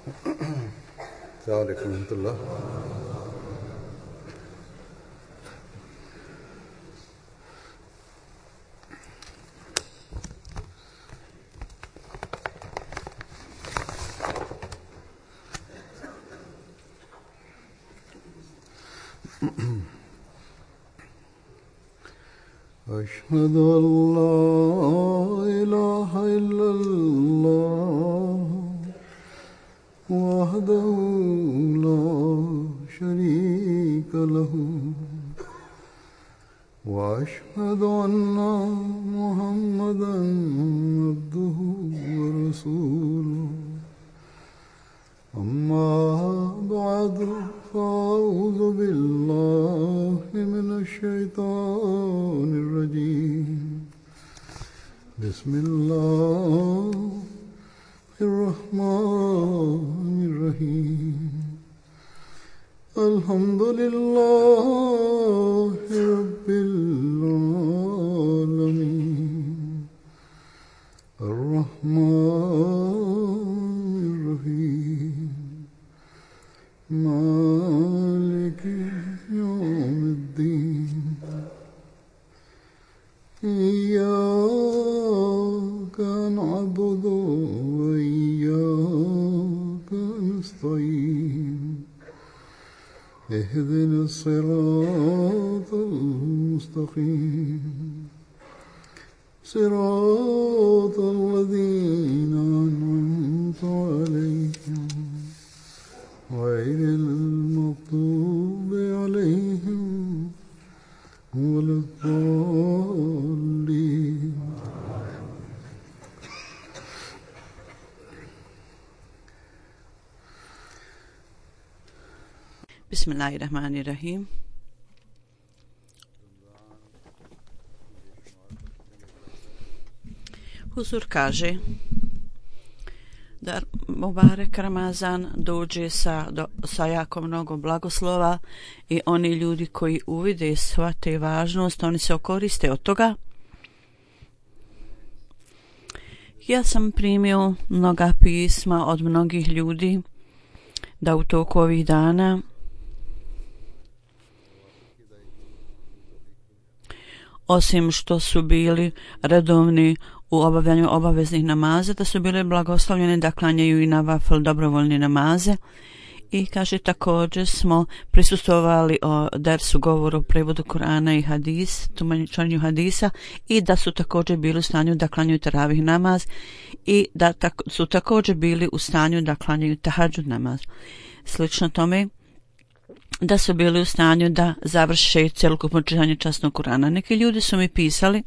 السلام عليكم ورحمة الله. أشهد أن لا إله إلا الله وحده لا شريك له وأشهد أن محمدا عبده ورسوله أما بعد فأعوذ بالله من الشيطان الرجيم بسم الله الرحمن الرحيم الحمد لله رب العالمين الرحمن الرحيم مالك يوم الدين إياك نعبد وإياك نستعين اهدنا الصراط المستقيم صراط الذين أنعمت عليهم غير المغضوب عليهم ولا الضالين. Bismillahirrahmanirrahim. Huzur kaže da Mubarek Ramazan dođe sa jako mnogo blagoslova i oni ljudi koji uvide i shvate važnost, oni se okoriste od toga. Ja sam primio mnoga pisma od mnogih ljudi da u toku ovih dana osim što su bili redovni u obavljanju obaveznih namaza, da su bile blagoslovljene da klanjaju i navafil dobrovoljne namaze. I kaže, također smo prisustvovali o dersu govoru, prevodu Kur'ana i hadis, tumačenju hadisa, i da su također bili u stanju da klanjaju teravih namaz i da su također bili u stanju da klanjaju tahadžud namaz. Slično tome, da su bili u stanju da završe cjelokupno čitanje časnog Kur'ana. Neki ljudi su mi pisali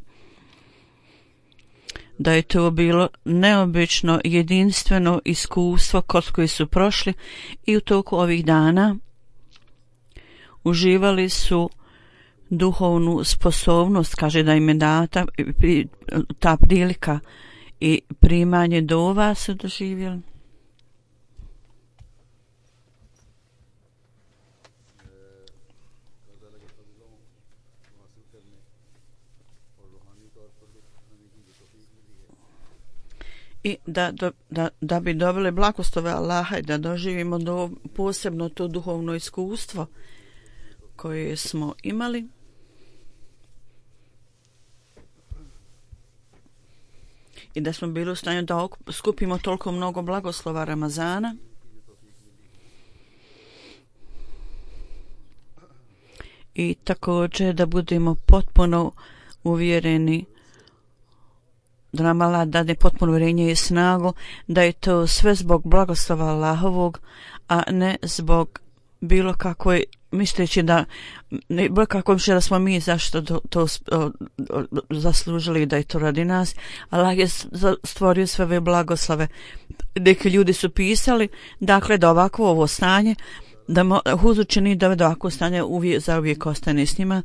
da je to bilo neobično jedinstveno iskustvo kod koji su prošli i u toku ovih dana uživali su duhovnu sposobnost, kaže da im je data ta prilika i primanje dova su doživjeli. I da bi dobili blagoslove Allaha i da doživimo posebno to duhovno iskustvo koje smo imali. I da smo bili u stanju da skupimo toliko mnogo blagoslova Ramazana. I također da budemo potpuno uvjereni da nam Allah dade potpuno uvjerenje i snagu da je to sve zbog blagoslova Allahovog, a ne zbog bilo kakvoj misleći da bilo kako mišlje da smo mi zašto to zaslužili da je to radi nas. Allah je stvorio sve ove blagoslove. Neki ljudi su pisali dakle da ovako ovo stanje da Huzur čini da ovako stanje za uvijek ostane s njima,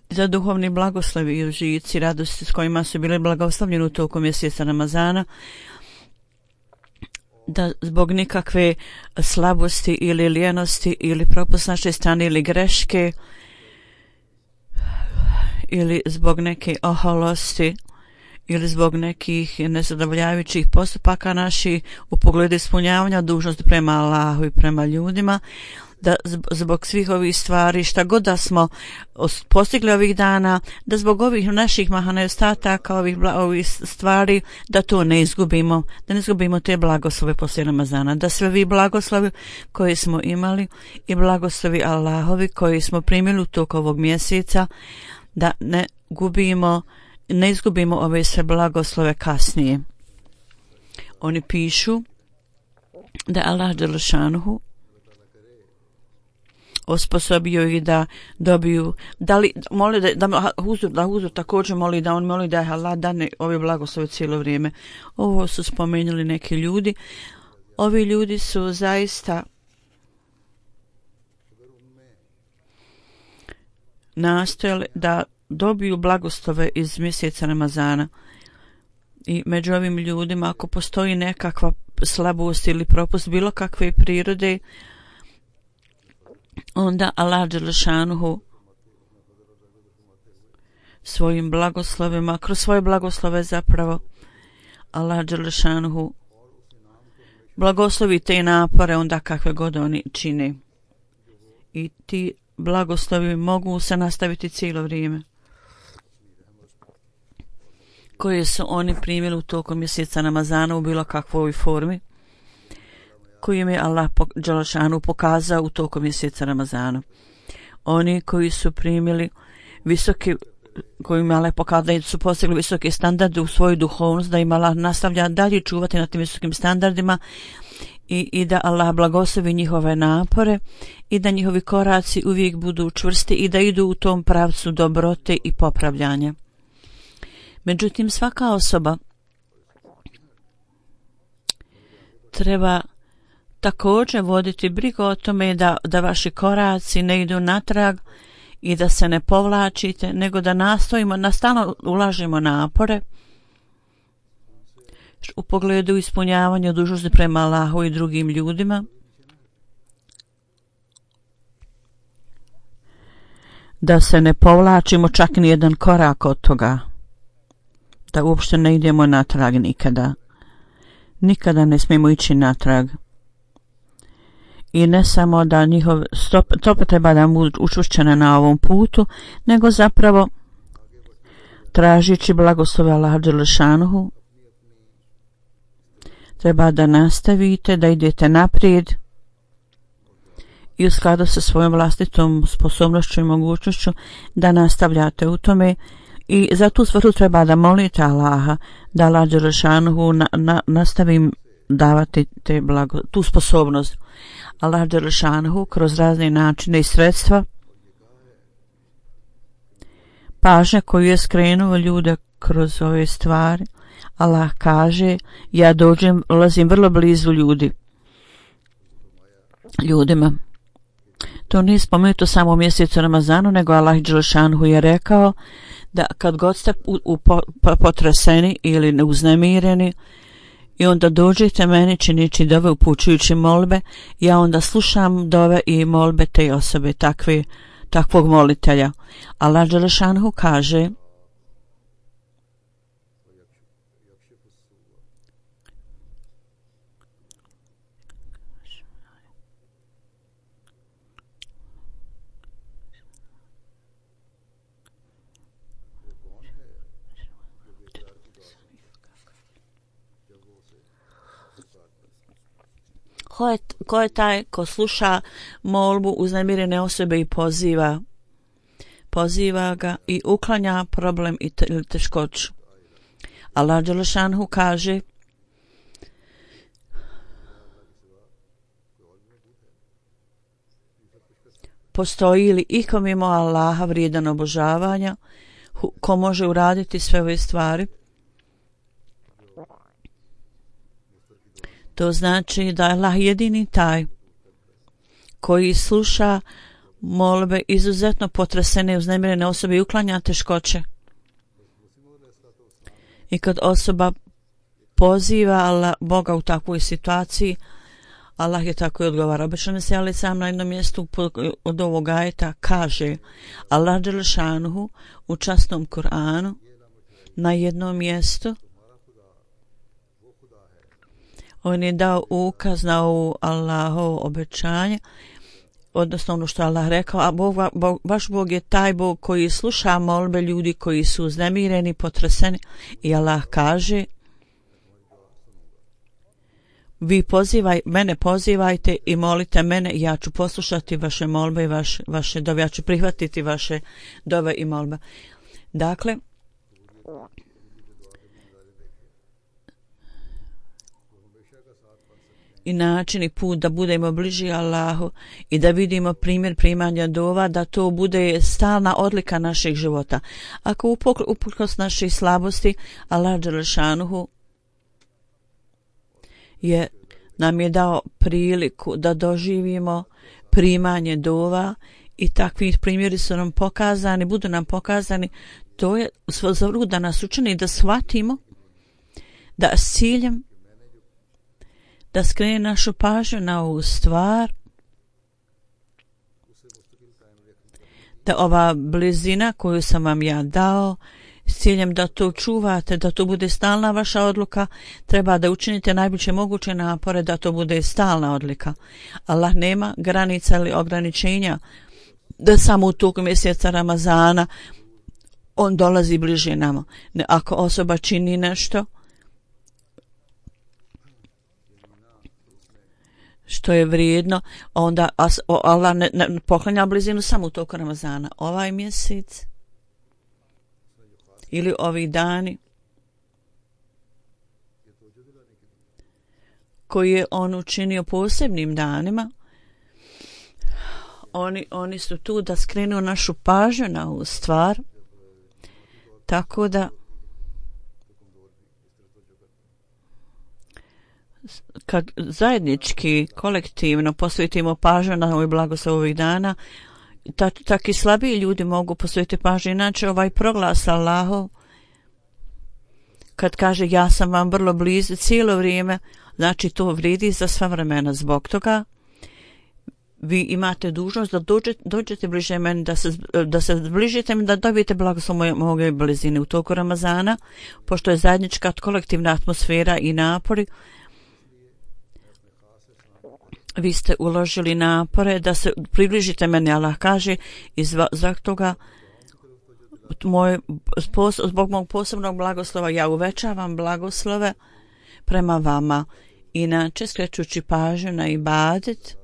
za duhovni blagoslovi i užici, radosti s kojima su bili blagoslovljeni u toku mjeseca Ramazana, da zbog nikakve slabosti ili lijenosti ili propust naše strane ili greške ili zbog neke oholosti ili zbog nekih nezadovoljavajućih postupaka naših u pogledu ispunjavanja dužnosti prema Allahu i prema ljudima, da zbog svih ovih stvari, šta god da smo postigli ovih dana, da zbog ovih naših nedostataka, ovih stvari, da to ne izgubimo, da ne izgubimo te blagoslove poslije Ramazana, da sve vi blagoslovi koje smo imali i blagoslovi Allahovi koji smo primili u toku ovog mjeseca, da ne izgubimo ove sve blagoslove kasnije. Oni pišu da Allah dželešanuhu osposobio ih da dobiju, da Huzur također moli da je Allah dane ove blagoslove cijelo vrijeme. Ovo su spomenuli neki ljudi. Ovi ljudi su zaista nastojali da dobiju blagoslove iz mjeseca Ramazana. I među ovim ljudima, ako postoji nekakva slabost ili propust bilo kakve prirode, onda Allah dželešanuhu svojim blagoslovima, kroz svoje blagoslove zapravo Allah dželešanuhu blagoslovi te napore onda kakve god oni čine. I ti blagoslovi mogu se nastaviti cijelo vrijeme koje su oni primili u tokom mjeseca Ramazana u bilo kakvoj formi koji im je Allah dželešanu pokazao u tokom mjeseca Ramazana. Oni koji su primili visoki, koji im Allah pokazao da su postigli visoke standarde u svoju duhovnost, da im Allah nastavlja dalje čuvati na tim visokim standardima i da Allah blagoslovi njihove napore i da njihovi koraci uvijek budu čvrsti i da idu u tom pravcu dobrote i popravljanja. Međutim, svaka osoba treba također voditi brigu o tome da vaši koraci ne idu natrag i da se ne povlačite, nego da nastojimo, da stalno ulažemo napore u pogledu ispunjavanja dužnosti prema Allahu i drugim ljudima, da se ne povlačimo čak ni jedan korak od toga, da uopšte ne idemo natrag nikada ne smijemo ići natrag. I ne samo da njihov stopa treba da budu učvršćene na ovom putu, nego zapravo tražeći blagoslove Allaha dželešanuhu treba da nastavite, da idete naprijed i u skladu sa svojom vlastitom sposobnošću i mogućnošću da nastavljate u tome. I za tu svrhu treba da molite Allaha da Allah dželešanuhu nastavi davati tu sposobnost. Allah dželešanuhu kroz razne načine i sredstva, pažnja koju je skrenuo ljude kroz ove stvari, Allah kaže, ja ulazim vrlo blizu ljudima. To nije spomenuto samo u mjesecu Ramazanu, nego Allah dželešanuhu je rekao da kad god ste potreseni ili neuznemireni i onda dođete meni činići dove, upućujući molbe, ja onda slušam dove i molbe te osobe, takvog molitelja. Allah dželešanuhu kaže, ko je taj ko sluša molbu uznemirene osobe i poziva ga i uklanja problem i teškoću. Allah dželešanuhu kaže, postoji li iko mimo Allaha vrijedan obožavanja, ko može uraditi sve ove stvari? To znači da je Allah jedini taj koji sluša molbe izuzetno potresene i uznemirene osobe i uklanja teškoće. I kad osoba poziva Boga u takvoj situaciji, Allah je tako i odgovara. Obično se ali sam na jednom mjestu od ovog ajeta kaže, Allah dželešanuhu u časnom Kur'anu na jednom mjestu on je dao ukaz na ovu Allahovo obećanje, odnosno ono što Allah rekao, a vaš Bog je taj Bog koji sluša molbe ljudi koji su uznemireni, potreseni, i Allah kaže: vi mene pozivajte i molite mene i ja ću poslušati vaše molbe i vaše dove, ja ću prihvatiti vaše dove i molbe. Dakle, i način i put da budemo bliži Allahu i da vidimo primjer primanja dova, da to bude stalna odlika naših života. Ako uprkos naših slabosti, Allah dželešanuhu nam je dao priliku da doživimo primanje dova i takvi primjeri su nam pokazani, budu nam pokazani, to je za da nas učini da shvatimo da s ciljem da skrene našu pažnju na ovu stvar, da ova blizina koju sam vam ja dao, s ciljem da to čuvate, da to bude stalna vaša odluka, treba da učinite najbolje moguće napore da to bude stalna odlika. Allah nema granica ili ograničenja da samo u toku mjeseca Ramazana on dolazi bliže nama. Ako osoba čini nešto što je vrijedno, onda Allah ne poklanja blizinu samo u toku Ramazana. Ovaj mjesec ili ovi dani koji je on učinio posebnim danima, oni su tu da skrenu našu pažnju na ovu stvar, tako da kad zajednički, kolektivno posvetimo pažnju na ovaj blagoslov ovih dana, tako i slabiji ljudi mogu posvetiti pažnju. Inače, ovaj proglas Allahov, kad kaže ja sam vam vrlo blizu cijelo vrijeme, znači to vrijedi za sva vremena. Zbog toga vi imate dužnost da dođete bliže meni, da se zbližite mi, da dobijete blagoslov moje blizine u toku Ramazana, pošto je zajednička kolektivna atmosfera i napori. Vi ste uložili napore da se približite meni, Allah kaže, i zbog toga zbog mog posebnog blagoslova ja uvećavam blagoslove prema vama. Inače, skrećući pažnju na ibadet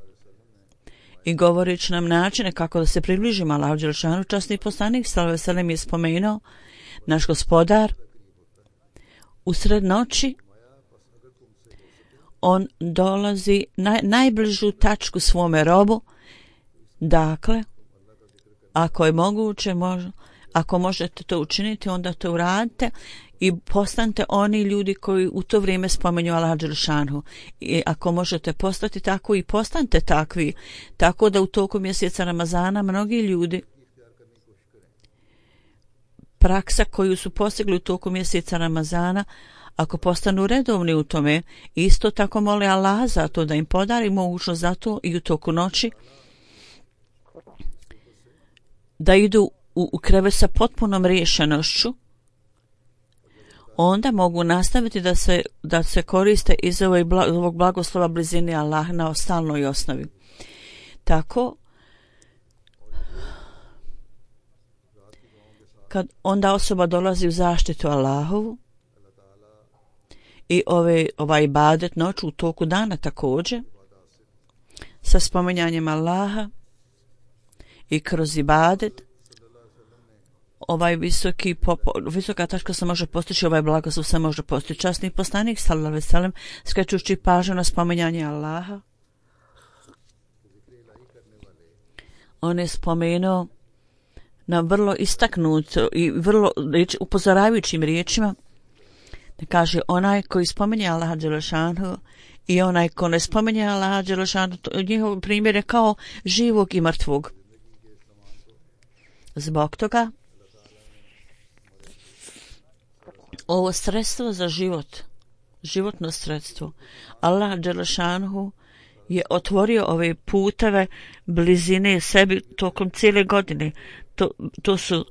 i govorići nam načine kako da se približimo Allahu dželešanu, časni poslanik sallallahu alejhi ve sellem je spomenuo, naš Gospodar usred noći on dolazi najbližu tačku svome robu. Dakle, ako je moguće, ako možete to učiniti, onda to uradite i postanite oni ljudi koji u to vrijeme spomenju Allaha dželešanu. I ako možete postati tako, i postanite takvi, tako da u toku mjeseca Ramazana mnogi ljudi, praksa koju su postigli u toku mjeseca Ramazana, ako postanu redovni u tome, isto tako mole Allah za to da im podari mogućnost za to i u toku noći da idu u krevet sa potpunom riješenošću, onda mogu nastaviti da se koriste iz ovog blagoslova blizine Allah na stalnoj osnovi. Tako, kad onda osoba dolazi u zaštitu Allahovu i ovaj ibadet noću u toku dana također, sa spominjanjem Allaha i kroz ibadet, ovaj visoka tačka se može postići, ovaj blagoslov se može postići. Časni poslanik sallallahu alejhi ve sellem, skrećući pažnju na spominjanje Allaha, on je spomenuo na vrlo istaknut i vrlo upozoravajućim riječima, da kaže onaj koji spominje Allaha dželešanu i onaj ko ne spominje Allaha dželešanu, njihov primjer je kao živog i mrtvog. Zbog toga ovo sredstvo za život, životno sredstvo, Allah dželešanu je otvorio ove puteve blizine sebi tokom cijele godine. To su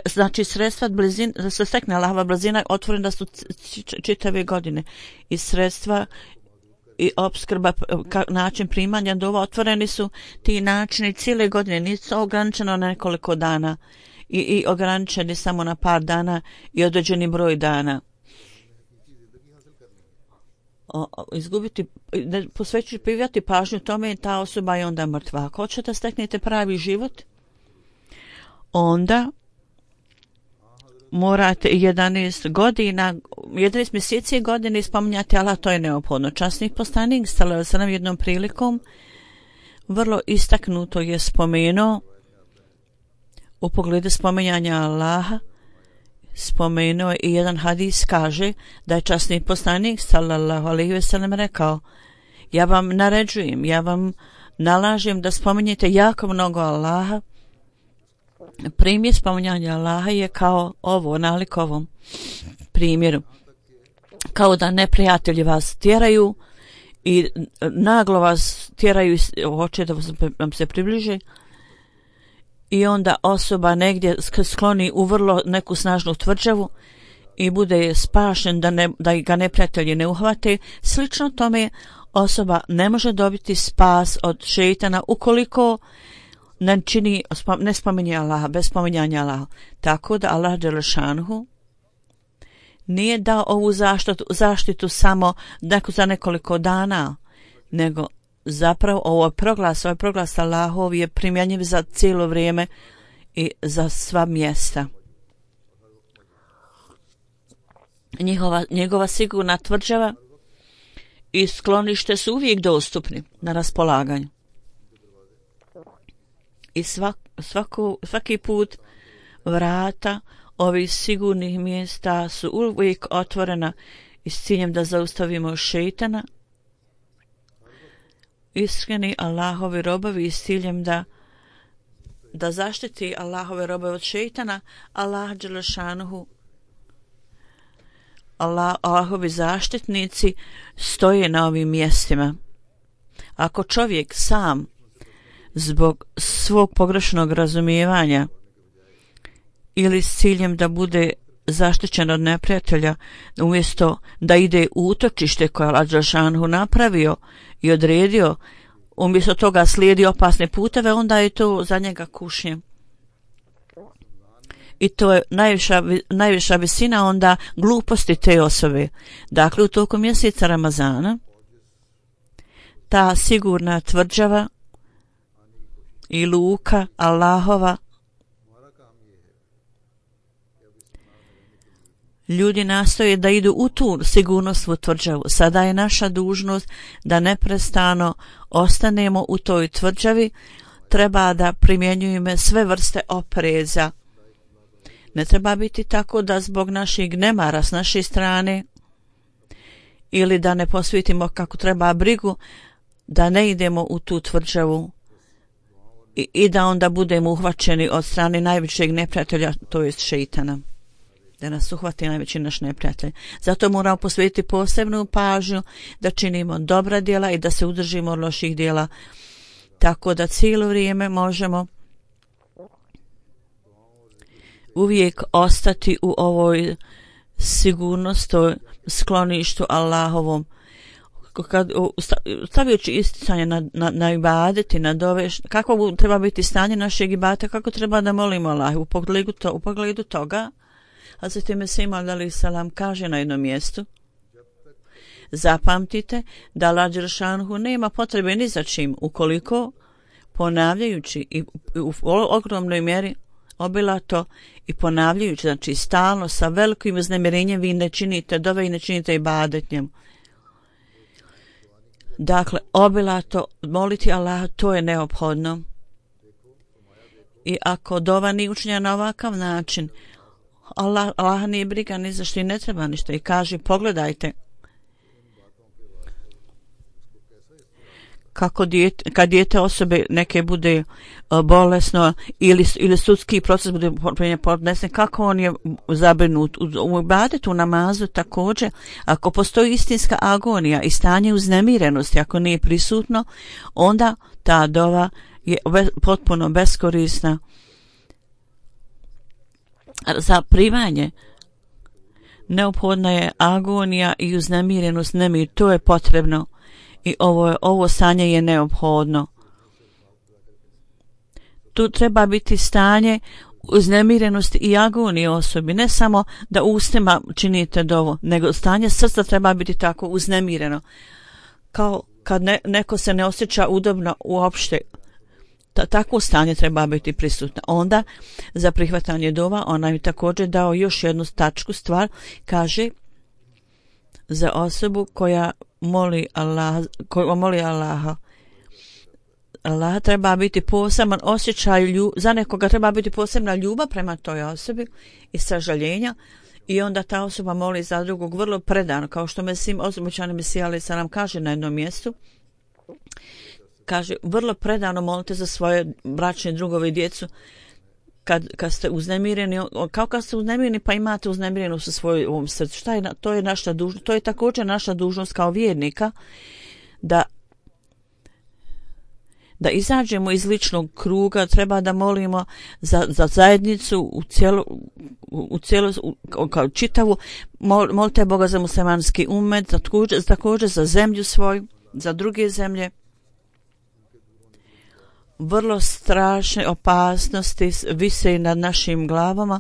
znači sredstva blizine, da se stekne Allahova blizina otvorena su čitave godine i sredstva i opskrba, način primanja dova otvoreni su ti načini cijele godine, nisu ograničeno na nekoliko dana i ograničeni samo na par dana i određeni broj dana. Posvećujete pažnju tome, ta osoba je onda mrtva. Ako hoćete da steknete pravi život, onda morate 11 mjeseci godine spominjati Allah, to je neophodno. Časnik poslanik sallallahu alejhi ve sellem jednom prilikom vrlo istaknuto je spomenuo u pogledu spominjanja Allaha, spomenuo je i jedan hadis, kaže da je časnik poslanik sallallahu alejhi ve sellem rekao: ja vam naređujem, ja vam nalažem da spominjete jako mnogo Allaha. Primjer spominjanja Allaha je kao ovo, nalik ovom primjeru. Kao da neprijatelji vas tjeraju i naglo vas tjeraju, hoće da vam se približe i onda osoba negdje skloni u vrlo neku snažnu tvrđavu i bude spašen da ga neprijatelji ne uhvate. Slično tome osoba ne može dobiti spas od šejtana ukoliko ne spominje Allaha, bez spominjanja Allaha. Tako da Allah dželešanuhu nije dao ovu zaštitu samo za nekoliko dana, nego zapravo ovaj proglas Allahov je primjenjiv za cijelo vrijeme i za sva mjesta. Njegova sigurna tvrđava i sklonište su uvijek dostupni na raspolaganju. I svaki put vrata ovih sigurnih mjesta su uvijek otvorena i s ciljem da zaustavimo šejtana. Iskreni Allahovi robovi s ciljem da zaštiti Allahove robove od šejtana. Allah dželešanuhu, Allahovi zaštitnici stoje na ovim mjestima. Ako čovjek sam zbog svog pogrešnog razumijevanja ili s ciljem da bude zaštićen od neprijatelja, umjesto da ide u utočište koje Allah dželešanuhu napravio i odredio, umjesto toga slijedi opasne puteve, onda je to za njega kušnje. I to je najviša visina onda gluposti te osobe. Dakle, u toku mjeseca Ramazana ta sigurna tvrđava i luka Allahova, ljudi nastoje da idu u tu sigurnosnu tvrđavu. Sada je naša dužnost da neprestano ostanemo u toj tvrđavi. Treba da primjenjujemo sve vrste opreza. Ne treba biti tako da zbog naših nemara s naše strane ili da ne posvetimo kako treba brigu, da ne idemo u tu tvrđavu i da onda budemo uhvaćeni od strane najvećeg neprijatelja, to jest šejtana. Da nas uhvati najveći naš neprijatelj. Zato moramo posvetiti posebnu pažnju da činimo dobra djela i da se udržimo od loših djela, tako da cijelo vrijeme možemo uvijek ostati u ovoj sigurnosti, skloništu Allahovom. Stavljajući isticanje na ibadeti, na dove, kako treba biti stanje našeg ibadeta, kako treba da molimo Allah. U pogledu toga Hazreti Mesih alejhi selam kaže na jednom mjestu: zapamtite da Allah dželešanuhu nema potrebe ni za čim ukoliko ponavljajući i u ogromnoj mjeri obilato i ponavljajući, znači stalno sa velikim uznemirenjem vi ne činite dove i ne činite ibadet njemu. Dakle, obilato moliti Allaha, to je neophodno. I ako dova nije učinjena na ovakav način, Allah nije briga ni za što i ne treba ništa. I kaže, pogledajte kako kad dijete osobe neke bude bolesno ili sudski proces bude podnesen, kako on je zabrinut. U ibadetu, u namazu također, ako postoji istinska agonija i stanje uznemirenosti, ako nije prisutno, onda ta dova je potpuno beskorisna za primanje. Neophodna je agonija i uznemirenost, nemir, to je potrebno i ovo stanje je neophodno. Tu treba biti stanje uznemirenosti i agonije osobi, ne samo da ustima činite dovu, nego stanje srca treba biti tako uznemireno, kao kad neko se ne osjeća udobno uopšte. Takvo stanje treba biti prisutno. Onda za prihvatanje dova ona je također dao još jednu tačku stvar, kaže za osobu koja moli Allaha. Allah treba biti poseban osjećaj, za nekoga treba biti posebna ljubav prema toj osobi i sažaljenja, i onda ta osoba moli za drugog vrlo predano, kao što običani Mesija alejhi selam kaže na jednom mjestu. Kaže, vrlo predano molite za svoje bračne drugove i djecu kad ste uznemireni, kao kad ste uznemireni pa imate uznemirenost u svojom srcu. To je naša dužnost, to je također naša dužnost kao vjernika, da izađemo iz ličnog kruga, treba da molimo za zajednicu u cijelu kao čitavu, molite Boga za muslimanski umet, također za zemlju svoju, za druge zemlje. Vrlo strašne opasnosti vise nad našim glavama.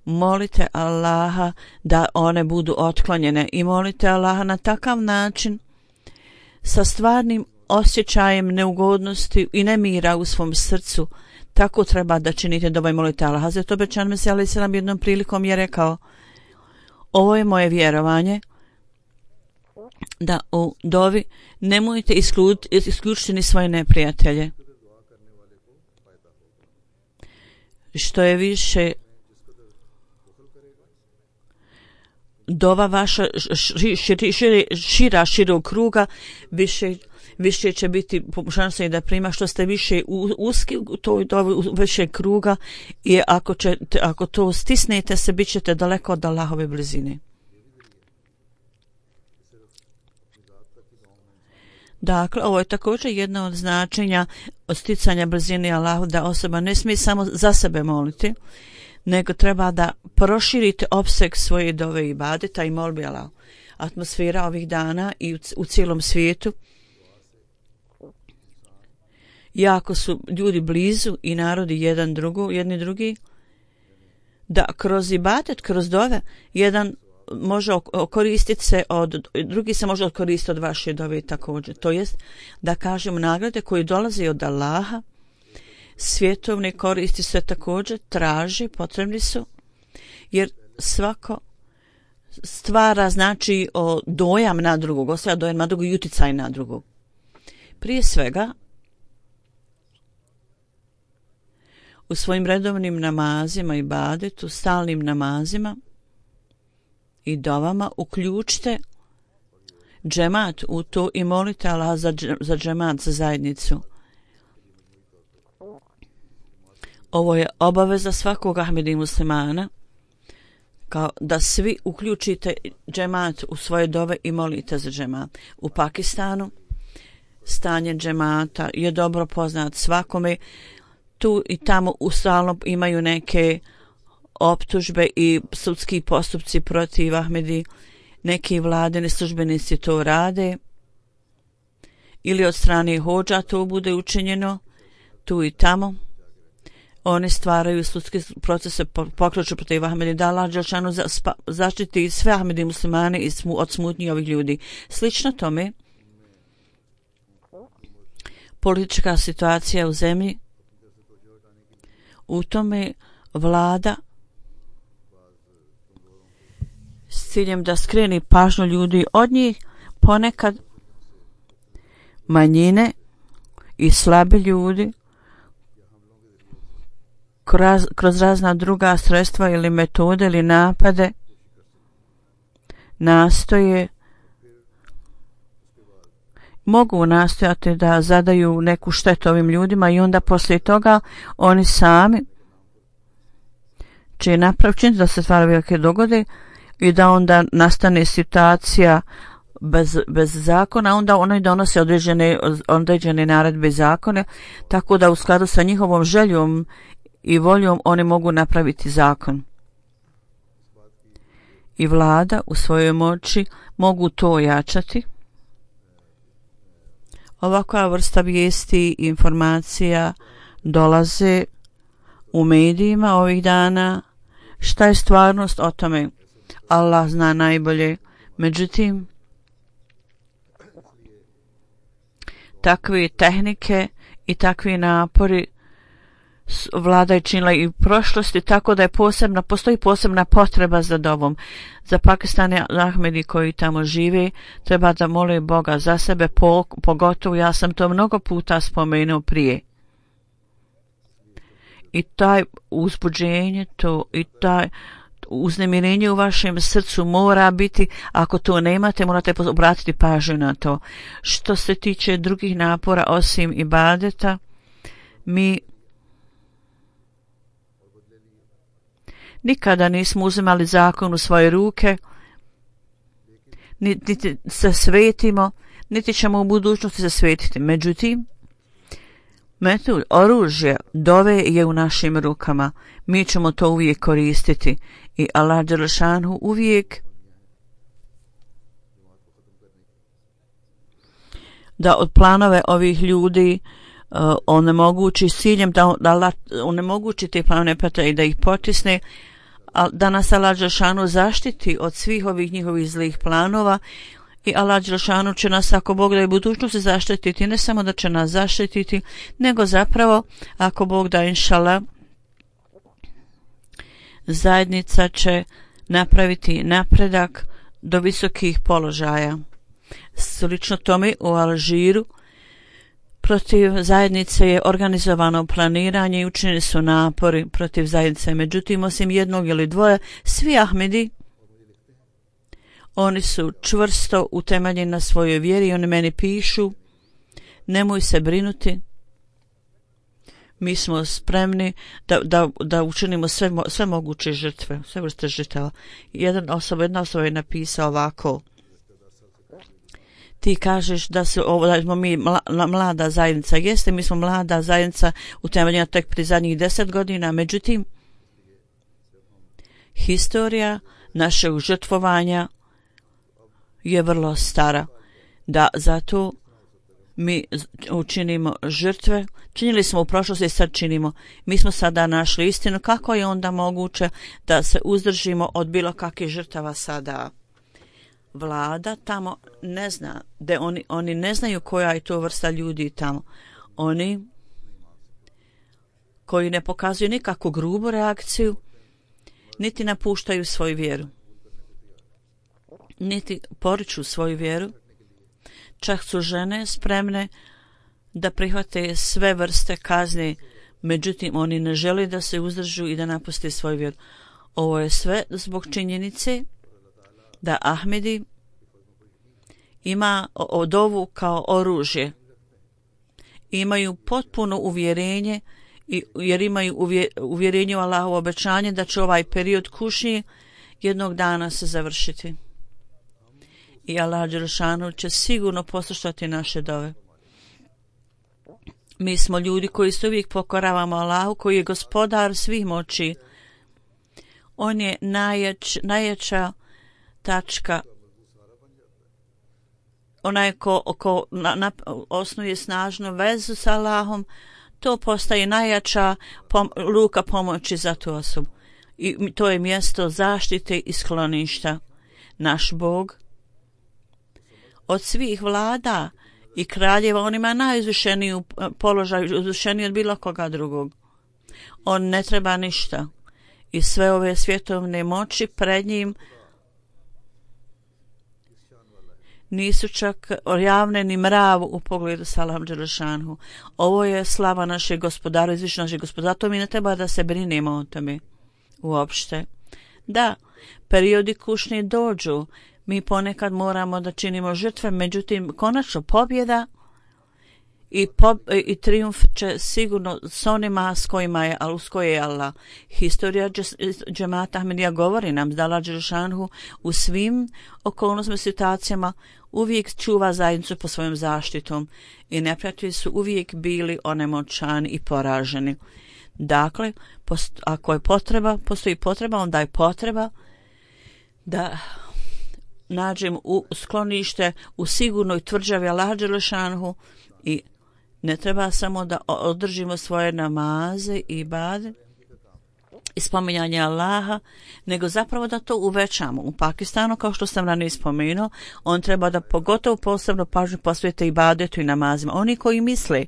Molite Allaha da one budu otklonjene i molite Allaha na takav način sa stvarnim osjećajem neugodnosti i nemira u svom srcu. Tako treba da činite dovu i molite Allaha. Hazret obećan Mesija alejhi selam jednom prilikom je rekao: ovo je moje vjerovanje, da u dovi nemojte isključiti ni svoje neprijatelje. Što je više dova vaša širog kruga, više će biti šanse da prima. Što ste više uski u toj dovi, više kruga, i ako to stisnete se, bit ćete daleko od Allahove blizine. Dakle, ovo je također jedno od značenja od sticanja blizine Allahu, da osoba ne smije samo za sebe moliti, nego treba da proširite opseg svoje dove i ibadeta i molbi Allahu. Atmosfera ovih dana i u cijelom svijetu, jako su ljudi blizu i narodi jedni drugi, da kroz ibadet, kroz dove, jedan može koristiti se drugi se može koristiti od vaše dove također. To jest da kažemo nagrade koje dolaze od Allaha, svjetovne koristi se također traži, potrebni su, jer svako stvara znači dojam na drugog, ostavlja dojam na drugog i uticaj na drugog. Prije svega, u svojim redovnim namazima i ibadetu, stalnim namazima i dovama uključite džemat u to i molite Allah za džemat, za zajednicu. Ovo je obaveza svakog Ahmedi muslimana, kao da svi uključite džemat u svoje dove i molite za džemat. U Pakistanu stanje džemata je dobro poznat svakome. Tu i tamo ustalno imaju neke optužbe i sudski postupci protiv Ahmedi. Neki vladini službenici to rade ili od strane hodža to bude učinjeno. Tu i tamo oni stvaraju sudske procese, pokreću protiv Ahmedi, da Allah dželešanu zaštiti sve Ahmedi muslimane od smutnji ovih ljudi. Slično tome, politička situacija u zemlji, u tome vlada s ciljem da skreni pažnju ljudi od njih, ponekad manjine i slabi ljudi kroz razna druga sredstva ili metode ili napade mogu nastojati da zadaju neku štetu ovim ljudima i onda poslije toga oni sami će napraviti da se stvari velike dogode i da onda nastane situacija bez zakona, onda oni donose određene naredbe i zakone, tako da u skladu sa njihovom željom i voljom oni mogu napraviti zakon. I vlada u svojoj moći mogu to ojačati. Ovakva vrsta vijesti i informacija dolaze u medijima ovih dana. Šta je stvarnost o tome? Allah zna najbolje. Međutim, takve tehnike i takvi napori vlada je činila i u prošlosti, tako da postoji posebna potreba za dovom. Za Pakistane Ahmedi koji tamo žive treba da mole Boga za sebe, pogotovo ja sam to mnogo puta spomenuo prije. I taj uzbuđenje, i taj uznemirenje u vašem srcu mora biti, ako to nemate, morate obratiti pažnju na to. Što se tiče drugih napora osim ibadeta, mi nikada nismo uzimali zakon u svoje ruke, niti se svetimo, niti ćemo u budućnosti se svetiti. Međutim, oružje dove je u našim rukama. Mi ćemo to uvijek koristiti i Allah dželešanu uvijek da od planove ovih ljudi onemogući s ciljem da onemogući te planove i da ih potisne, da nas Allah dželešanu zaštiti od svih ovih njihovih zlih planova. I Allah dželešanu će nas, ako Bog da je budućnosti, zaštititi. Ne samo da će nas zaštititi, nego zapravo, ako Bog da inšala, zajednica će napraviti napredak do visokih položaja. Slično tome u Alžiru protiv zajednice je organizovano planiranje i učinjeni su napori protiv zajednice. Međutim, osim jednog ili dvoje, svi Ahmedi, oni su čvrsto utemeljeni na svojoj vjeri i oni meni pišu: nemoj se brinuti, mi smo spremni da učinimo sve moguće žrtve, sve vrste žrtava. Jedna osoba je napisao ovako: ti kažeš da smo mi mlada zajednica. Jeste, mi smo mlada zajednica utemeljena tek pri zadnjih 10 godina, međutim, historija našeg žrtvovanja je vrlo stara, da zato mi učinimo žrtve. Činili smo u prošlosti i sad činimo. Mi smo sada našli istinu. Kako je onda moguće da se uzdržimo od bilo kakvih žrtava sada? Vlada tamo ne zna, oni ne znaju koja je to vrsta ljudi tamo. Oni koji ne pokazuju nikakvu grubu reakciju, niti napuštaju svoju vjeru, niti poriču svoju vjeru. Čak su žene spremne da prihvate sve vrste kazne, međutim oni ne žele da se uzdržu i da napuste svoju vjeru. Ovo je sve zbog činjenice da Ahmedi ima dovu kao oružje. Imaju potpuno uvjerenje, jer imaju uvjerenje u Allahovo obećanje da će ovaj period kušnje jednog dana se završiti. I Allah dželešanu će sigurno poslušati naše dove. Mi smo ljudi koji se uvijek pokoravamo Allahu, koji je gospodar svih moći. On je najjača tačka. Onaj ko osnuje snažnu vezu sa Allahom, to postaje najjača ruka pomoći za tu osobu. I to je mjesto zaštite i skloništa. Naš Bog od svih vlada i kraljeva, on ima najizvišeniju položaj, izvišeniji od bilo koga drugog. On ne treba ništa. I sve ove svjetovne moći pred njim nisu čak javne ni mravu u pogledu sa Allahom dželešanu. Ovo je slava našeg gospodara, izvišenja našeg gospodara. To mi ne treba da se brinemo o tome uopšte. Da, periodi kušnje dođu, Mi ponekad moramo da činimo žrtve, međutim, konačno pobjeda i trijumf će sigurno s onima s kojima je, uz koje je Allah. Historija džemata Ahmedija govori nam da Allah Đelešanu u svim okolnostima i situacijama uvijek čuva zajednicu po svojom zaštitom i neprijatelji su uvijek bili onemoćani i poraženi. Dakle, ako je potreba, postoji potreba, onda je potreba da nađemo u sklonište u sigurnoj tvrđavi Allaha Đelešanu i ne treba samo da održimo svoje namaze i ibade i spominjanje Allaha, nego zapravo da to uvećamo. U Pakistanu, kao što sam ranije spomenuo, on treba da pogotovo posebno pažnju posvete ibadetu i namazima. Oni koji misle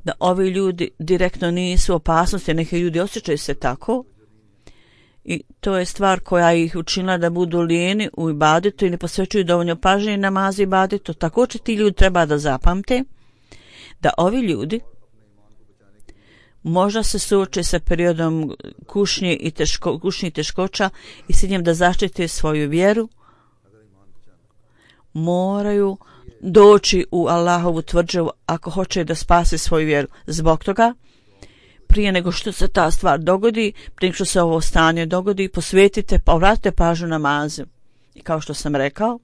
da ovi ljudi direktno nisu opasnosti, neki ljudi osjećaju se tako, i to je stvar koja ih učinila da budu lijeni u ibadetu i ne posvećuju dovoljno pažnje namazu i ibadetu. Također ti ljudi treba da zapamte da ovi ljudi možda se suoče sa periodom kušnje i teškoća i s njim da zaštite svoju vjeru, moraju doći u Allahovu tvrđavu ako hoće da spase svoju vjeru. Zbog toga, prije nego što se ta stvar dogodi, prije nego što se ovo stanje dogodi, povratite pažnju namazu. I kao što sam rekao,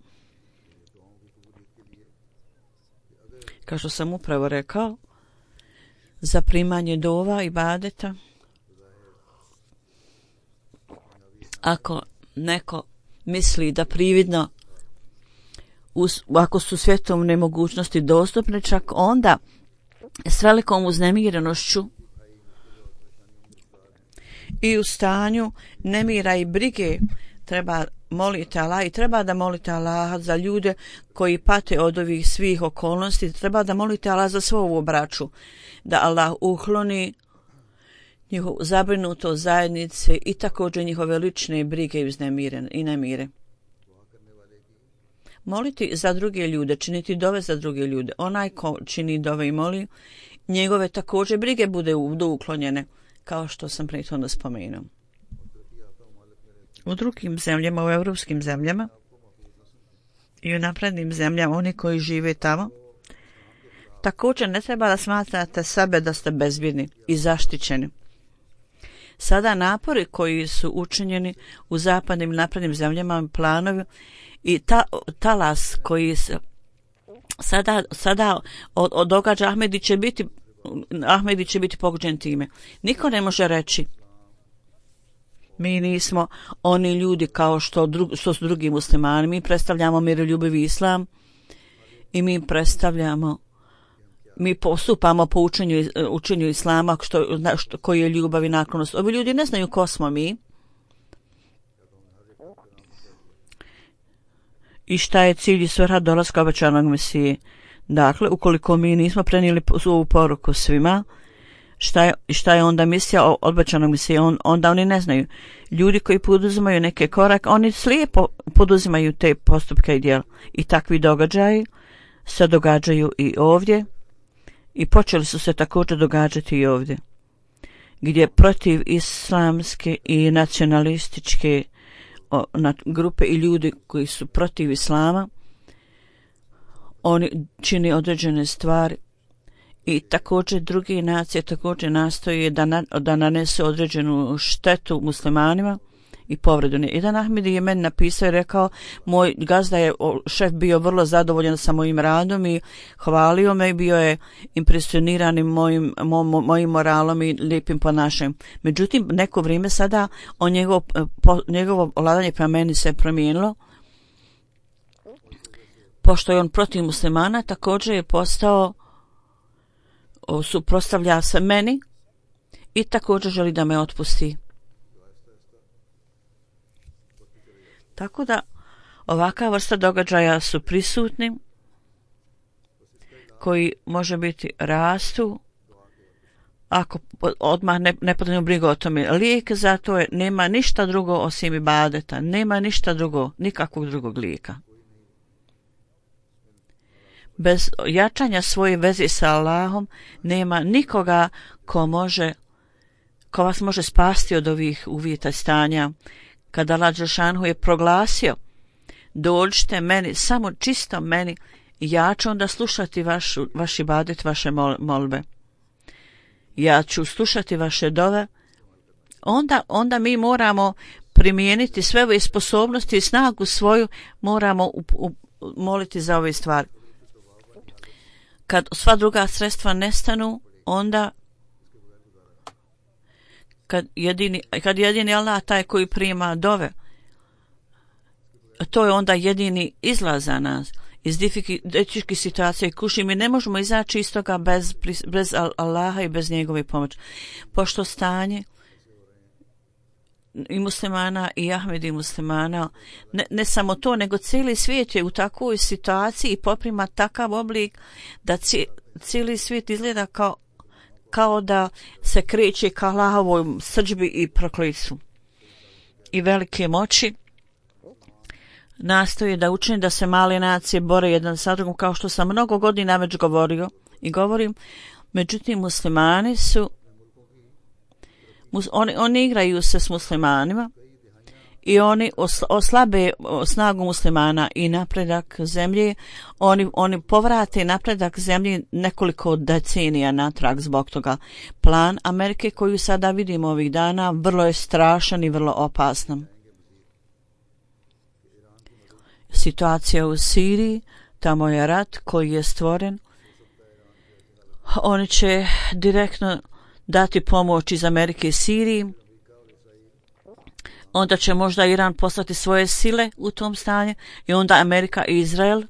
kao što sam upravo rekao, za primanje dova i ibadeta, ako neko misli da prividno ako su svjetovne mogućnosti dostupne, čak onda s velikom uznemirenošću i u stanju nemira i brige treba moliti Allah i treba da molite Allah za ljude koji pate od ovih svih okolnosti, treba da molite Allah za svoju braću, da Allah ukloni njihovu zabrinutost zajednice i također njihove lične brige i nemire. Moliti za druge ljude, činiti dove za druge ljude. Onaj ko čini dove i moli, njegove također brige budu uklonjene, kao što sam prethodno spomenuo. U drugim zemljama, u evropskim zemljama i u naprednim zemljama, oni koji žive tamo, također ne treba da smatrate sebe da ste bezbjedni i zaštićeni. Sada napori koji su učinjeni u zapadnim i naprednim zemljama, planovi i talas koji se sada od događa Ahmedi će biti pogođen time. Niko ne može reći mi nismo oni ljudi kao što su drugi muslimani. Mi predstavljamo miroljubivi islam i mi postupamo po učenju islama koji je ljubav i naklonost. Ovi ljudi ne znaju ko smo mi i šta je cilj i svrha dolaska obećanog Mesije. Dakle, ukoliko mi nismo prenijeli ovu poruku svima, šta je onda misija obećanog Mesije, onda oni ne znaju. Ljudi koji poduzimaju neke korake, oni slijepo poduzimaju te postupke i djela. I takvi događaji se događaju i ovdje i počeli su se također događati i ovdje, gdje protiv islamske i nacionalističke grupe i ljudi koji su protiv islama, oni čini određene stvari i također druge nacije također nastoje da nanesu određenu štetu muslimanima i povredu. Jedan Ahmedi je meni napisao i rekao, moj gazda je šef bio vrlo zadovoljan sa mojim radom i hvalio me i bio je impresioniran mojim moralom i lijepim ponašanjem. Međutim, neko vrijeme sada njegovo vladanje prema meni se promijenilo. Pošto je on protiv muslimana, također je suprotstavlja se meni i također želi da me otpusti. Tako da ovakva vrsta događaja su prisutni, koji može biti rastu, ako odmah ne podnemo brigu o tome. Lijek za to je, nema ništa drugo osim ibadeta, nema ništa drugo, nikakvog drugog lijeka. Bez jačanja svoje veze sa Allahom nema nikoga ko vas može spasti od ovih uvjeta stanja. Kada Allah Đelešanu je proglasio dođite meni, samo čisto meni, i ja ću onda slušati vaš ibadet, vaše molbe. Ja ću slušati vaše dove. Onda mi moramo primijeniti sve ove sposobnosti i snagu svoju, moramo moliti za ove stvari. Kad sva druga sredstva nestanu, onda kad jedini Allah taj koji prima dove, to je onda jedini izlaz za nas iz teških situacija i kušnji. Mi ne možemo izaći iz toga bez Allaha i bez njegove pomoći. Pošto stanje i muslimana i Ahmedi muslimana, ne samo to, nego cijeli svijet je u takvoj situaciji i poprima takav oblik da cijeli svijet izgleda kao da se kreće ka Allahovoj srdžbi i proklitstvu. I velike moći nastoji da učini da se male nacije bore jedan sa drugom, kao što sam mnogo godina već govorio i govorim. Međutim, muslimani su oni igraju se s muslimanima i oni oslabe snagu muslimana i napredak zemlje. Oni povrate napredak zemlje nekoliko decenija natrag zbog toga. Plan Amerike koju sada vidimo ovih dana vrlo je strašan i vrlo opasan. Situacija u Siriji, tamo je rat koji je stvoren. Oni će direktno dati pomoć iz Amerike i Siriji. Onda će možda Iran poslati svoje sile u tom stanju i onda Amerika i Izrael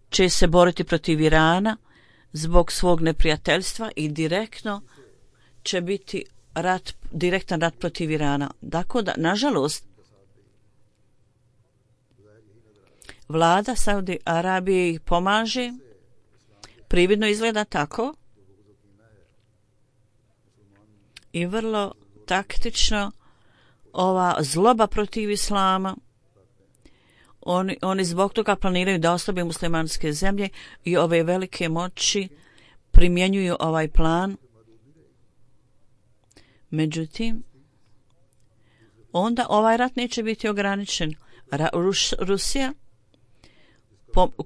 će se boriti protiv Irana zbog svog neprijateljstva i direktno će biti direktan rat protiv Irana. Dakle, nažalost, vlada Saudi Arabije ih pomaže, prividno izgleda tako i vrlo taktično ova zloba protiv islama. Oni zbog toga planiraju da oslabe muslimanske zemlje i ove velike moći primjenjuju ovaj plan. Međutim, onda ovaj rat neće biti ograničen. Rusija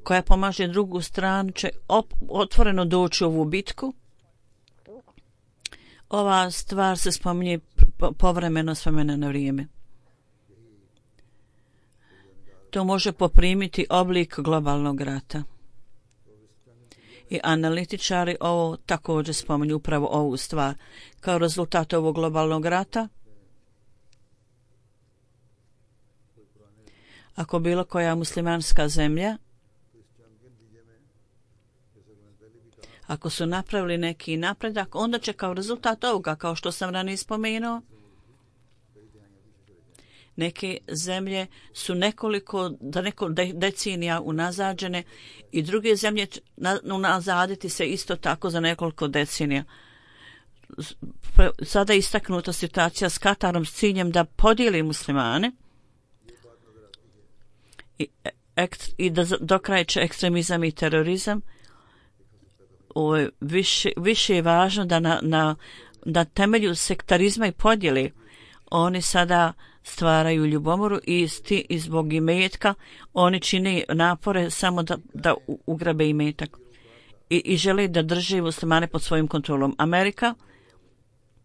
koja pomaže drugu stranu će otvoreno doći u ovu bitku. Ova stvar se spominje povremeno s vremena na vrijeme. To može poprimiti oblik globalnog rata. I analitičari ovo također spominju upravo ovu stvar. Kao rezultat ovog globalnog rata, ako bilo koja muslimanska zemlja, ako su napravili neki napredak, onda će kao rezultat ovoga, kao što sam ranije spomenuo, neke zemlje su nekoliko decenija unazađene i druge zemlje unazaditi se isto tako za nekoliko decenija. Sada je istaknuta situacija s Katarom s ciljem da podijeli muslimane i da dokrajče ekstremizam i terorizam. Više je važno da na temelju sektarizma i podjele oni sada stvaraju ljubomoru i zbog imetka oni čine napore samo da ugrabe imetak i žele da drže muslimane pod svojim kontrolom. Amerika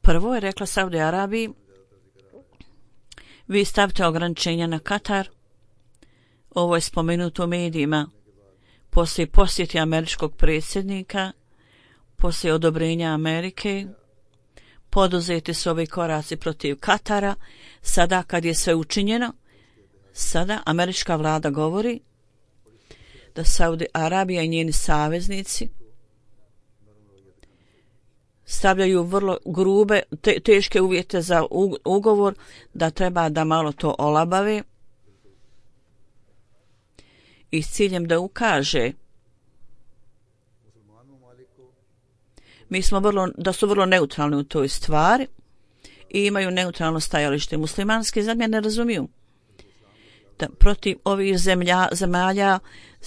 prvo je rekla Saudi Arabiji, vi stavite ograničenja na Katar. Ovo je spomenuto u medijima. Poslije posjeti američkog predsjednika, poslije odobrenja Amerike, poduzeti su ovi koraci protiv Katara. Sada kad je sve učinjeno, sada američka vlada govori da Saudi Arabija i njeni saveznici stavljaju vrlo grube, teške uvjete za ugovor, da treba da malo to olabave i s ciljem da ukaže da su vrlo neutralni u toj stvari i imaju neutralno stajalište. Muslimanske zemlje ne razumiju da protiv ovih zemalja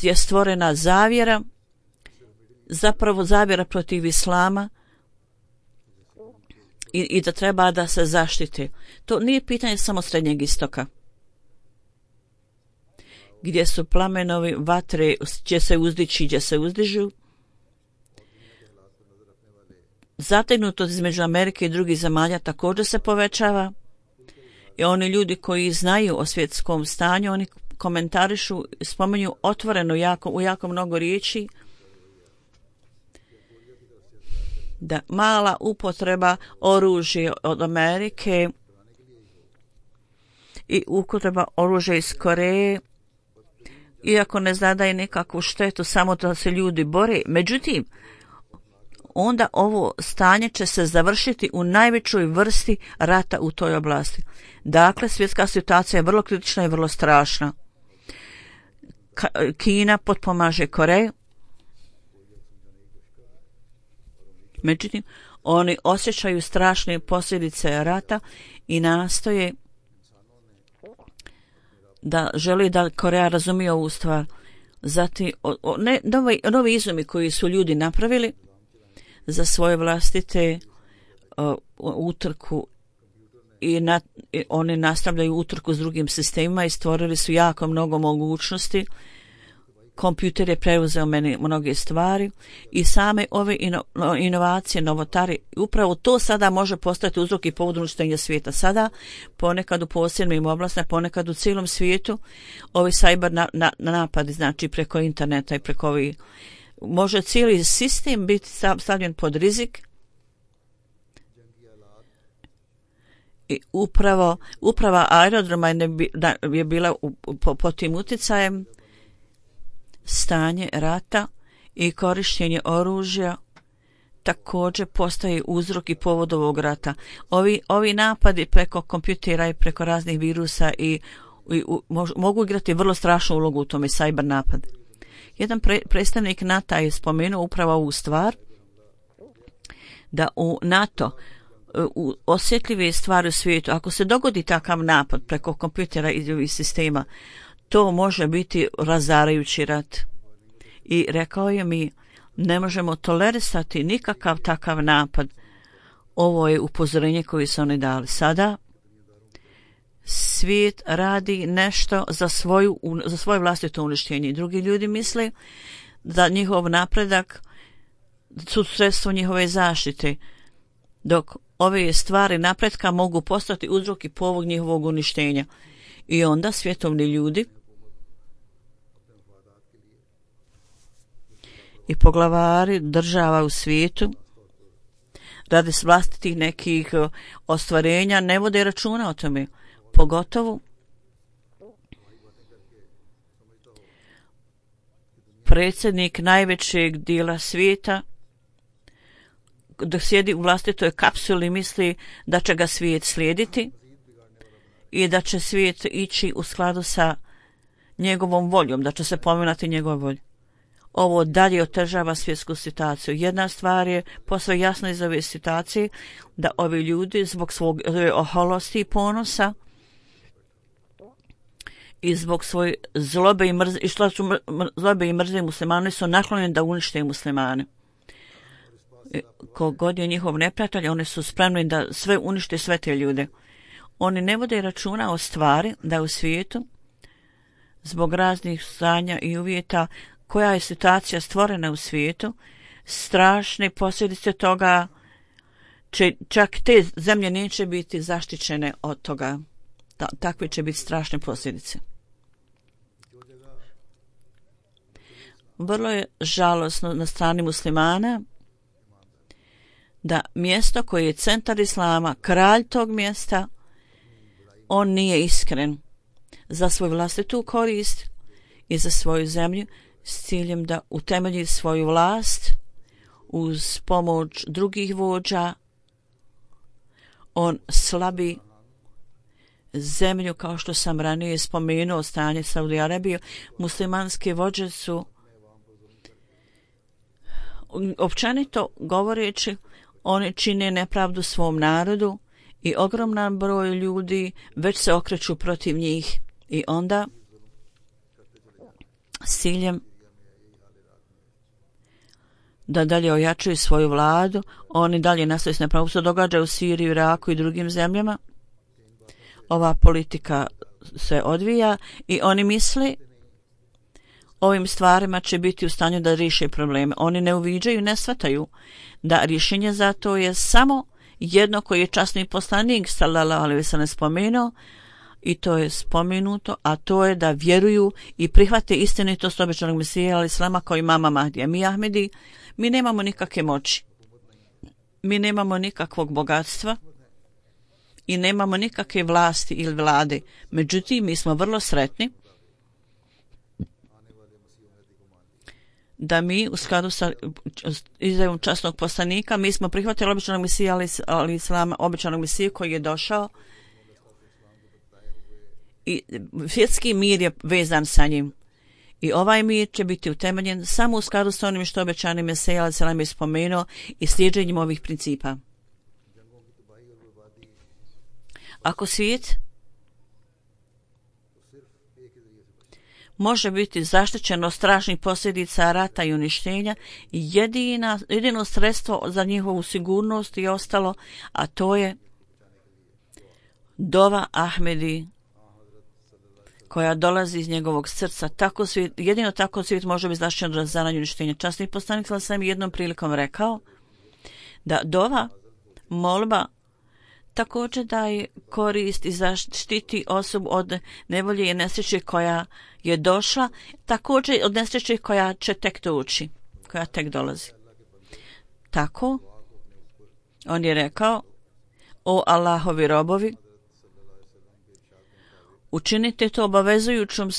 je stvorena zavjera, zapravo zavjera protiv islama i da treba da se zaštite. To nije pitanje samo Srednjeg istoka. gdje su plamenovi vatre, će se uzdići, gdje se uzdižu. Zategnutost između Amerike i drugih zemalja također se povećava. I oni ljudi koji znaju o svjetskom stanju, oni komentarišu, spominju otvoreno u jako mnogo riječi da mala upotreba oružja od Amerike i upotreba oružja iz Koreje, iako ne zadaje nikakvu štetu, samo da se ljudi bore. Međutim, onda ovo stanje će se završiti u najvećoj vrsti rata u toj oblasti. Dakle, svjetska situacija je vrlo kritična i vrlo strašna. Kina potpomaže Koreju. Međutim, oni osjećaju strašne posljedice rata i nastoje da želi da Koreja razumije ovu stvar. Zatim, novi izumi koji su ljudi napravili za svoje vlastite utrku i oni nastavljaju utrku s drugim sistemima i stvorili su jako mnogo mogućnosti. Kompjuter je preuzeo mnoge stvari i same ove inovacije, novotari, upravo to sada može postati uzrok i povod uništenja svijeta. Sada, ponekad u posebnim oblastima, ponekad u cijelom svijetu, ovi cyber napadi, znači preko interneta i preko ovih, može cijeli sistem biti stavljen pod rizik. I uprava aerodroma je bila pod tim utjecajem. Stanje rata i korištenje oružja također postaje uzrok i povod ovog rata. Ovi napadi preko kompjutera i preko raznih virusa mogu igrati vrlo strašnu ulogu u tome, cyber napad. Jedan predstavnik NATO je spomenuo upravo ovu stvar, da u NATO u osjetljive stvari u svijetu, ako se dogodi takav napad preko kompjutera i ovih sistema, to može biti razarajući rat. I rekao je mi, ne možemo tolerisati nikakav takav napad. Ovo je upozorenje koje su oni dali. Sada svijet radi nešto za svoje vlastito uništenje. Drugi ljudi misle da njihov napredak su sredstvo njihove zaštite, dok ove stvari napretka mogu postati uzrok i povod njihovog uništenja. I onda svjetovni ljudi i poglavari država u svijetu radi vlastitih nekih ostvarenja ne vode računa o tome. Pogotovo predsjednik najvećeg dijela svijeta dok sjedi u vlastitoj kapsuli misli da će ga svijet slijediti i da će svijet ići u skladu sa njegovom voljom, da će se pominati njegov volj. Ovo dalje otežava svjetsku situaciju. Jedna stvar je posve jasna iz ove situacije, da ovi ljudi zbog svog oholosti i ponosa i zbog svoje zlobe i mrze muslimani su naklonjeni da unište muslimane. Kogod je njihov neprijatelj, oni su spremni da sve unište sve te ljude. Oni ne vode računa o stvari da u svijetu zbog raznih stanja i uvjeta koja je situacija stvorena u svijetu, strašne posljedice toga, čak te zemlje neće biti zaštićene od toga. Takve će biti strašne posljedice. Vrlo je žalosno na strani muslimana da mjesto koje je centar islama, kralj tog mjesta, on nije iskren za svoju vlastitu korist i za svoju zemlju s ciljem da utemelji svoju vlast uz pomoć drugih vođa. On slabi zemlju, kao što sam ranije spomenuo, stanje Saudi Arabije. Muslimanske vođe su, općenito govoreći, oni čine nepravdu svom narodu i ogroman broj ljudi već se okreću protiv njih. I onda s ciljem da dalje ojačaju svoju vladu, oni dalje nastoje s nepravom. Se događa u Siriji, Iraku i drugim zemljama. Ova politika se odvija i oni misle ovim stvarima će biti u stanju da riješe probleme. Oni ne uviđaju, ne shvataju da rješenje za to je samo jedno koje je časni poslanik sallallahu alejhi ve sellem spomenuo, i to je spomenuto, a to je da vjeruju i prihvate istinitost obećanog Mesija alejhi selama kao imama Mahdija. Mi Ahmedi, mi nemamo nikakve moći, mi nemamo nikakvog bogatstva i nemamo nikakve vlasti ili vlade. Međutim, mi smo vrlo sretni da mi u skladu sa izjavom časnog poslanika mi smo prihvatili obećanog Mesija alejhi selama, obećanog Mesija koji je došao, i svjetski mir je vezan sa njim. I ovaj mir će biti utemeljen samo u skladu sa onim što obećani Mesija alejhi selam je spomenuo i slijeđenjem ovih principa. Ako svijet može biti zaštićen od strašnih posljedica rata i uništenja, jedino sredstvo za njihovu sigurnost je ostalo, a to je dova Ahmedi koja dolazi iz njegovog srca. Jedino tako svijet može biti zaštićen od razaranja i uništenja. Časni poslanik sam jednom prilikom rekao da dova, molba, također daje korist i zaštiti osobu od nevolje i nesreće koja je došla, također od nesreće koja će tek doći, koja tek dolazi. Tako, on je rekao: o Allahovi robovi, učinite to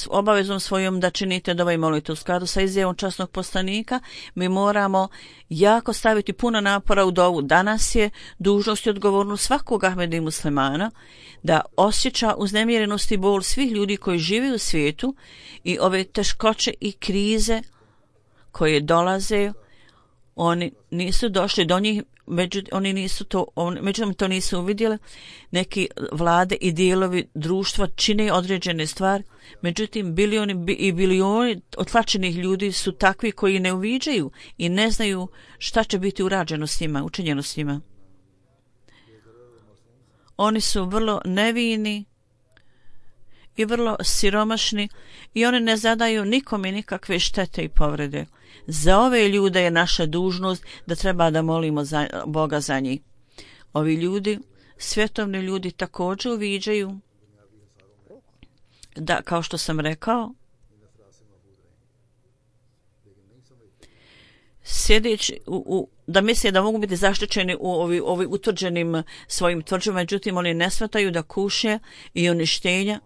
obavezom svojom da činite dovu i molite. U skladu sa izjavom časnog poslanika mi moramo jako staviti puno napora u dovu. Danas je dužnost i odgovornost svakog Ahmeda i muslimana da osjeća uznemirenost i bol svih ljudi koji žive u svijetu i ove teškoće i krize koje dolaze. Oni nisu došli do njih, međutim to nisu uvidjeli. Neki vlade i dijelovi društva čine određene stvari, međutim bilioni otlačenih ljudi su takvi koji ne uviđaju i ne znaju šta će biti urađeno s njima, učinjeno s njima. Oni su vrlo nevini i vrlo siromašni i oni ne zadaju nikome nikakve štete i povrede. Za ove ljude je naša dužnost da treba da molimo Boga za njih. Ovi ljudi, svjetovni ljudi, također uviđaju da, kao što sam rekao, sjedeći da misle da mogu biti zaštićeni u ovi utvrđenim svojim tvrđama, međutim oni ne shvataju da kušnje i uništenja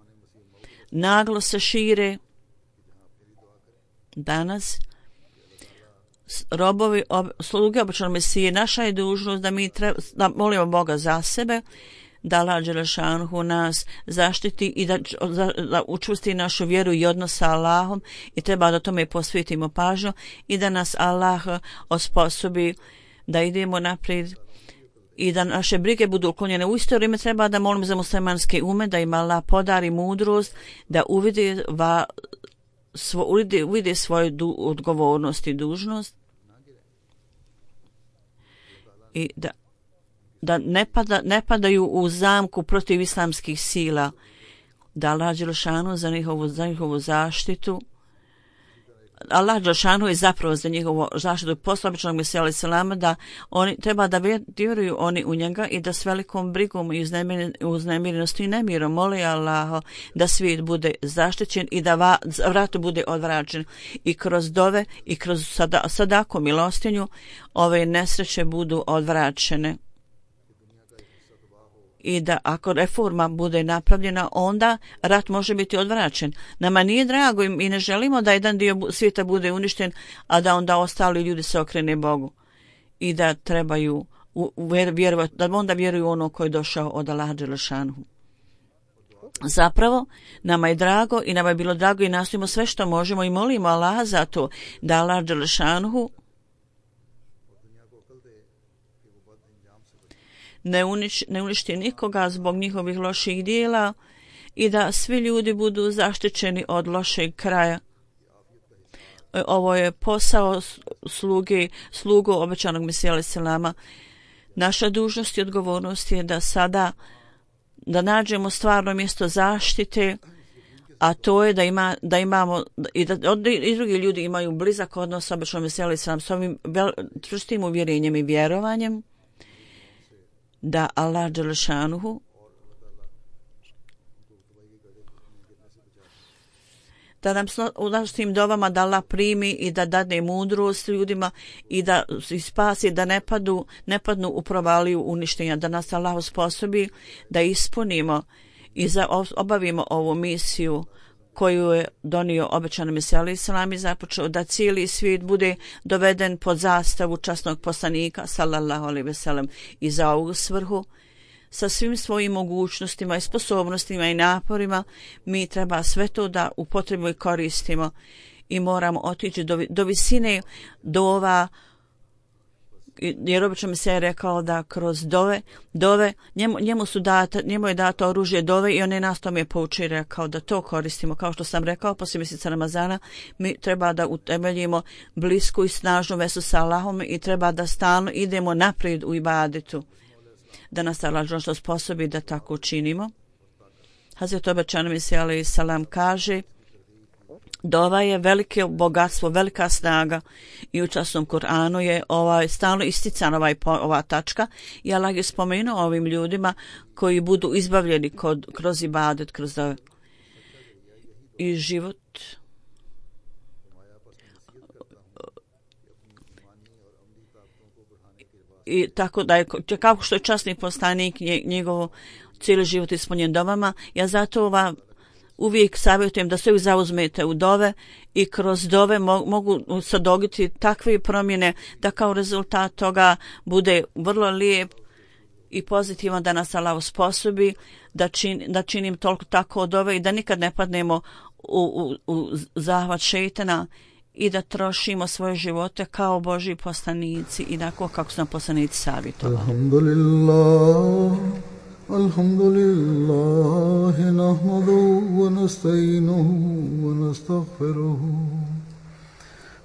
naglo se šire. Danas robovi, sluge obećanog Mesije, naša je dužnost da mi da molimo Boga za sebe, da Allah dželešanhu nas zaštiti i da učvrsti našu vjeru i odnos sa Allahom, i treba da tome posvetimo pažnju i da nas Allah osposobi da idemo naprijed i da naše brige budu uklonjene. U isto vrijeme treba da molimo za muslimanske ume, da im Allah podari mudrost, da uvide svoju odgovornost i dužnost i da ne padaju u zamku protiv islamskih sila, da Allah dželešanu za njihovu zaštitu. Allah dželešanu je zapravo za njihovu zaštitu poslao obećanog Mesija alejhi selama, da oni treba da vjeruju oni u njega i da s velikom brigom i uznemirenosti i nemirom mole Allaha da svijet bude zaštićen i da vrat bude odvraćen, i kroz dove i kroz sadaku milostinju ove nesreće budu odvraćene. I da ako reforma bude napravljena, onda rat može biti odvraćen. Nama nije drago i ne želimo da jedan dio svijeta bude uništen, a da onda ostali ljudi se okrene Bogu. I da trebaju vjerovati, da onda vjeruju ono koje je došao od Allaha dželešanhu. Zapravo, nama je drago i nama je bilo drago i nastojimo sve što možemo i molimo Allaha za to da Allah dželešanhu ne uništi nikoga zbog njihovih loših dijela i da svi ljudi budu zaštićeni od kraja. Ovo je posao slugu obećanog Mesija alejhi selama. Naša dužnost i odgovornost je da sada da nađemo stvarno mjesto zaštite a to je da imamo i drugi ljudi imaju blizak odnos sa običnom Mesijom alejhi s ovim čvrstim uvjerenjem i vjerovanjem da Allah dželešanuhu da nam u našim dovama da Allah primi i da dadne mudrost ljudima i da spasi, da ne padnu u provaliju uništenja, da nas Allah osposobi da ispunimo i obavimo ovu misiju koju je donio obećani Mesija alejhi selam i započeo da cijeli svijet bude doveden pod zastavu časnog poslanika sallallahu alejhi ve sellem i za ovu svrhu sa svim svojim mogućnostima i sposobnostima i naporima mi treba sve to da upotrebimo i koristimo i moramo otići do visine dova, jer obično mi se je rekao da kroz dove njemu je dato oružje dove i on je nas tome poučio i rekao da to koristimo. Kao što sam rekao, poslije mjeseca Ramazana mi treba da utemeljimo blisku i snažnu vezu sa Allahom i treba da stalno idemo naprijed u ibadetu, da nas Allah što sposobi da tako učinimo. Hazret obećani Mesija alejhi selam kaže: dova je veliko bogatstvo, velika snaga i u časnom Kur'anu je stalno isticana ova tačka i Allah je spomenuo ovim ljudima koji budu izbavljeni kroz ibadet, kroz dove. I život i tako da je kako što je časni poslanik njegov cijeli život ispunjen dovama. Ja zato uvijek savjetujem da se uvijek zauzmete u dove i kroz dove mogu se dogoditi takve promjene da kao rezultat toga bude vrlo lijep i pozitivan, da nas Allah osposobi da činim toliko tako dove i da nikad ne padnemo u zahvat šejtana i da trošimo svoje živote kao Božji poslanici i tako kako su nam poslanici savjetovali. Alhamdulillah nahmaduhu wa nasta'inuhu wa nastaghfiruhu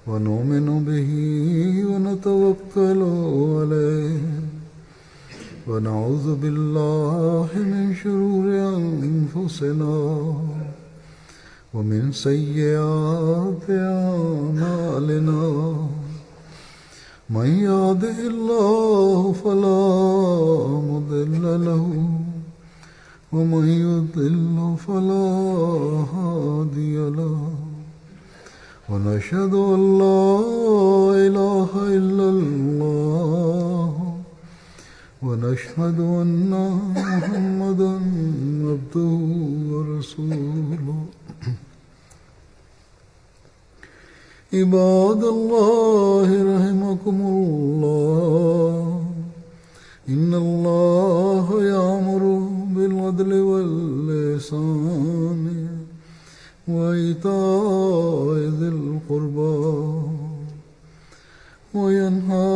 wa nu'minu bihi wa natawakkalu alayhi wa na'udhu billahi min shururi anfusina wa min sayyiati a'malina. من يهده الله فلا مضل له ومن يضلل فلا هادي له ونشهد أن لا إله إلا الله ونشهد أن محمدا عبده ورسوله. عباد الله رحمكم الله إن الله يأمر بالعدل والإحسان وإيتاء ذي القربى وينهى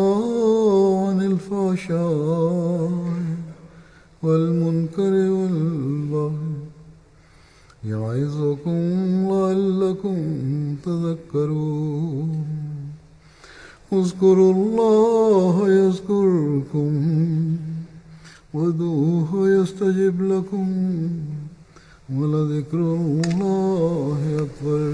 عن الفحشاء والمنكر والبغي يعظكم لعلكم تذكرون. اذكروا الله يذكركم وادعوه يستجب لكم ولذكر الله أكبر.